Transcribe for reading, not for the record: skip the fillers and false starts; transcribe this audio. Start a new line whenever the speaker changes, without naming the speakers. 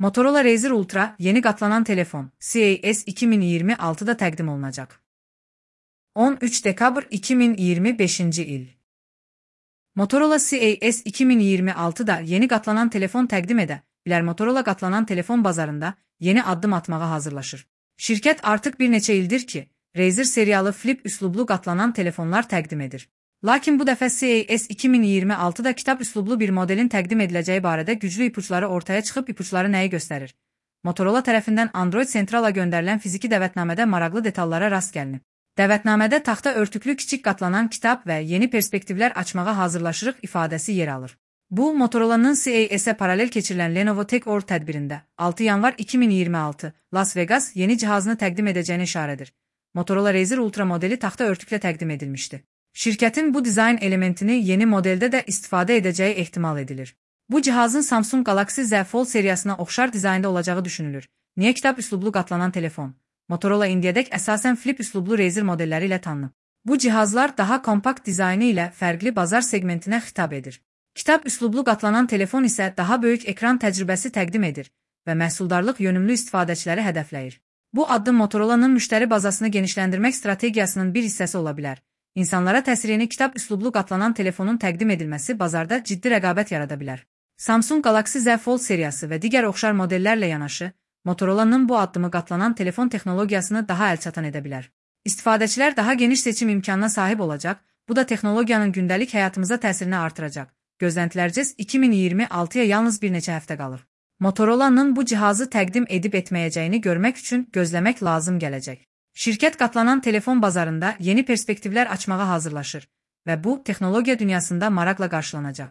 Motorola Razr Ultra yeni qatlanan telefon CES 2026'da təqdim olunacaq. 13 dekabr 2025-ci il. Motorola CES 2026'da yeni qatlanan telefon təqdim edə bilər. Motorola qatlanan telefon bazarında yeni addım atmağa hazırlaşır. Şirkət artıq bir neçə ildir ki, Razr serialı flip üslublu qatlanan telefonlar təqdim edir. Lakin bu dəfə CES 2026'da kitab üslublu bir modelin təqdim ediləcəyi barədə güclü ipuçları ortaya çıxıb. İpuçları nəyi göstərir? Motorola tərəfindən Android Centrala göndərilən fiziki dəvətnamədə maraqlı detallara rast gəlinib. Dəvətnamədə taxta örtüklü kiçik qatlanan kitab və yeni perspektivlər açmağa hazırlaşırıq ifadəsi yer alır. Bu, Motorola'nın CES-ə paralel keçirilən Lenovo Tech World tədbirində 6 yanvar 2026 Las Vegas yeni cihazını təqdim edəcəyini işarədir. Motorola Razr Ultra modeli taxta örtüklə təqdim edilmişdi. Şirkətin bu dizayn elementini yeni modeldə də istifadə edəcəyi ehtimal edilir. Bu cihazın Samsung Galaxy Z Fold seriyasına oxşar dizaynda olacağı düşünülür. Niyə kitab üslublu qatlanan telefon? Motorola indiyədək əsasən flip üslublu Razr modelləri ilə tanınıb. Bu cihazlar daha kompakt dizaynı ilə fərqli bazar segmentinə xitab edir. Kitab üslublu qatlanan telefon isə daha böyük ekran təcrübəsi təqdim edir və məhsuldarlıq yönümlü istifadəçiləri hədəfləyir. Bu addım Motorola'nın müştəri bazasını genişləndirmək strategiyasının bir hissəsi ola bilər. İnsanlara təsirini kitab üslublu qatlanan telefonun təqdim edilməsi bazarda ciddi rəqabət yarada bilər. Samsung Galaxy Z Fold seriyası və digər oxşar modellərlə yanaşı, Motorola'nın bu addımı qatlanan telefon texnologiyasını daha əlçatan edə bilər. İstifadəçilər daha geniş seçim imkanına sahib olacaq, bu da texnologiyanın gündəlik həyatımıza təsirini artıracaq. Gözləntilərcə 2026-ya yalnız bir neçə həftə qalır. Motorola'nın bu cihazı təqdim edib etməyəcəyini görmək üçün gözləmək lazım gələcək. Şirkət qatlanan telefon bazarında yeni perspektivlər açmağa hazırlaşır və bu, texnologiya dünyasında maraqla qarşılanacaq.